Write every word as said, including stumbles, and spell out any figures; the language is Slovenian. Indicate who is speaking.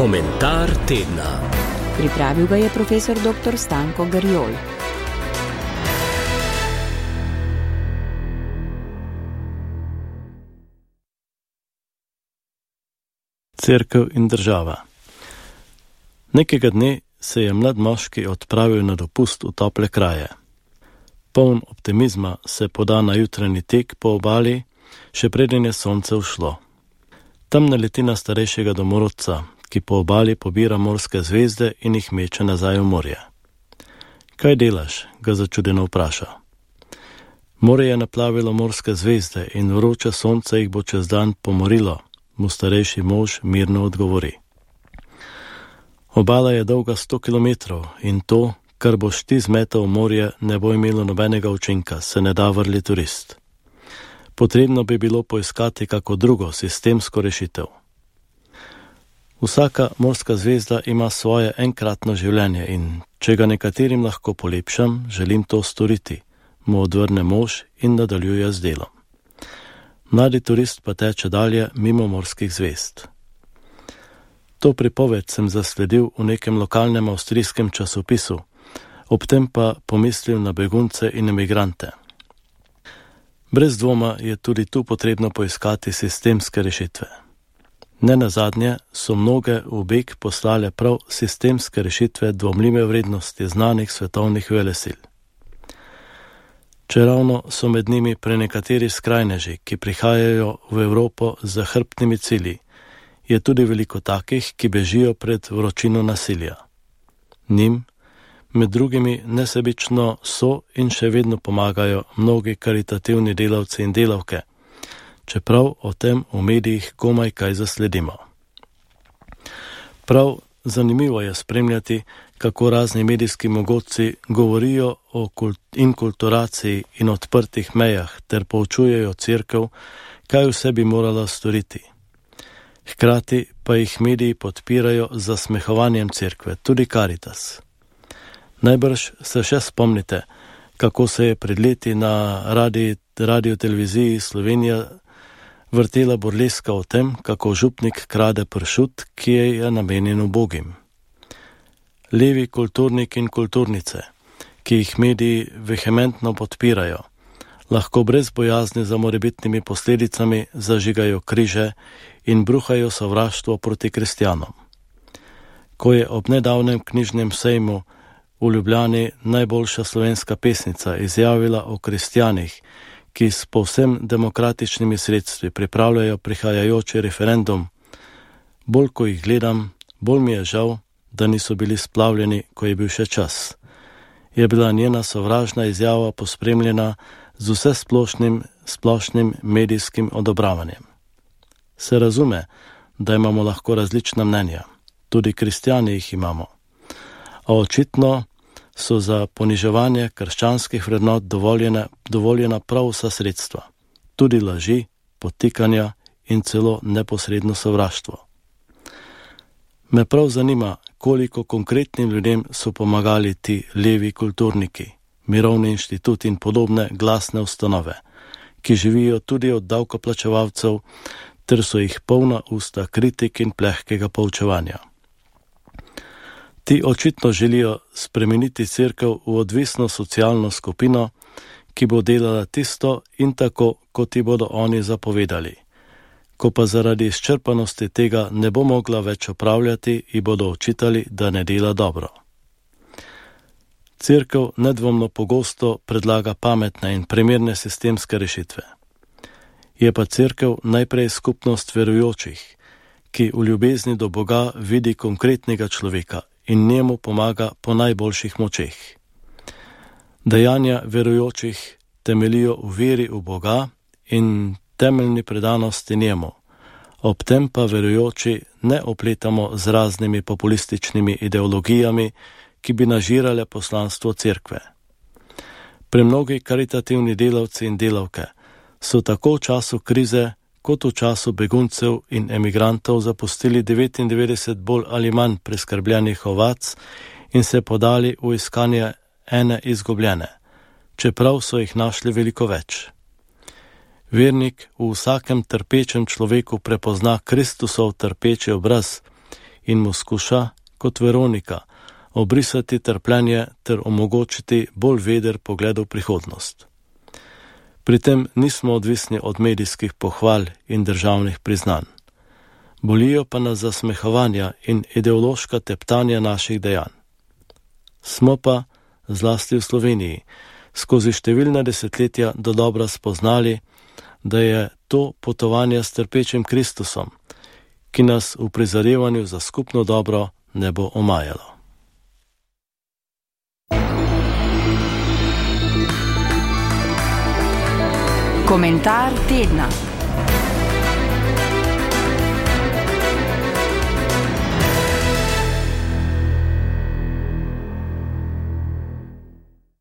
Speaker 1: Komentar tedna.
Speaker 2: Pripravil ga je profesor doktor Stanko Garjol.
Speaker 3: Cerkev in država. Nekega dne se je mlad moški odpravil na dopust v tople kraje. Poln optimizma se poda na jutranji tek po obali, še preden je sonce ušlo. Tam naleti na starejšega domorodca, ki po obali pobira morske zvezde in jih meče nazaj v morje. Kaj delaš? Ga začudeno vpraša. Morje je naplavilo morske zvezde in vroče sonce jih bo čez dan pomorilo, mu starejši mož mirno odgovori. Obala je dolga sto kilometrov in to, kar boš ti zmetal v morje, ne bo imelo nobenega učinka, se ne da vrli turist. Potrebno bi bilo poiskati kako drugo sistemsko rešitev. Vsaka morska zvezda ima svoje enkratno življenje in če ga nekaterim lahko polepšam, želim to storiti, mu odvrne mož in nadaljuje z delom. Mladi turist pa teče dalje mimo morskih zvezd. To pripoved sem zasledil v nekem lokalnem avstrijskem časopisu, ob tem pa pomislil na begunce in emigrante. Brez dvoma je tudi tu potrebno poiskati sistemske rešitve. Nenazadnje so mnoge v beg poslale prav sistemske rešitve dvomljive vrednosti znanih svetovnih velesil. Čeravno so med njimi prenekateri skrajneži, ki prihajajo v Evropo z zahrbtnimi cilji, je tudi veliko takih, ki bežijo pred vročino nasilja. Njim, med drugimi nesebično so in še vedno pomagajo mnogi karitativni delavci in delavke, čeprav o tem v medijih komaj kaj zasledimo. Prav zanimivo je spremljati, kako razni medijski mogotci govorijo o kult- inkulturaciji in odprtih mejah ter poučujejo cerkev, kaj vse bi morala storiti. Hkrati pa jih mediji podpirajo z zasmehovanjem cerkve, tudi Karitas. Najbrž se še spomnite, kako se je pred leti na radio, radio televiziji Slovenija vrtela burleska o tem, kako župnik krade pršut, ki je namenjen ubogim. Levi kulturnik in kulturnice, ki jih mediji vehementno podpirajo, lahko brez bojazni za morebitnimi posledicami zažigajo križe in bruhajo sovraštvo proti kristjanom. Ko je ob nedavnem knjižnem sejmu v Ljubljani najboljša slovenska pesnica izjavila o kristjanih, ki s povsem demokratičnimi sredstvi pripravljajo prihajajoči referendum, bolj ko jih gledam, bolj mi je žal, da niso bili splavljeni, ko je bil še čas. Je bila njena sovražna izjava pospremljena z vse splošnim, splošnim medijskim odobravanjem. Se razume, da imamo lahko različna mnenja, tudi kristjani jih imamo, a očitno so za poniževanje krščanskih vrednot dovoljene, dovoljena prav vsa sredstva, tudi laži, podtikanja in celo neposredno sovraštvo. Me prav zanima, koliko konkretnim ljudem so pomagali ti levi kulturniki, Mirovni inštitut in podobne glasne ustanove, ki živijo tudi od davkoplačevalcev, ter so jih polna usta kritik in plehkega poučevanja. Ti očitno želijo spremeniti cerkev v odvisno socialno skupino, ki bo delala tisto in tako, kot ti bodo oni zapovedali. Ko pa zaradi izčrpanosti tega ne bo mogla več opravljati, ji bodo očitali, da ne dela dobro. Cerkev nedvomno pogosto predlaga pametne in primerne sistemske rešitve. Je pa cerkev najprej skupnost verujočih, ki v ljubezni do Boga vidi konkretnega človeka in njemu pomaga po najboljših močeh. Dejanja verujočih temelijo v veri v Boga in temeljni predanosti njemu, ob tem pa verujoči ne opletamo z raznimi populističnimi ideologijami, ki bi nažirale poslanstvo cerkve. Premnogi karitativni delavci in delavke so tako v času krize kot v času beguncev in emigrantov zapustili devetindevetdeset bolj ali manj preskrbljenih ovac in se podali v iskanje ene izgubljene, čeprav so jih našli veliko več. Vernik v vsakem trpečem človeku prepozna Kristusov trpeči obraz in mu skuša, kot Veronika, obrisati trpljenje ter omogočiti bolj veder pogled v prihodnost. Pri tem nismo odvisni od medijskih pohval in državnih priznanj. Bolijo pa nas zasmehovanja in ideološka teptanja naših dejanj. Smo pa, zlasti v Sloveniji, skozi številna desetletja dodobra spoznali, da je to potovanje s trpečim Kristusom, ki nas v prizadevanju za skupno dobro ne bo omajalo.
Speaker 2: Komentar tedna.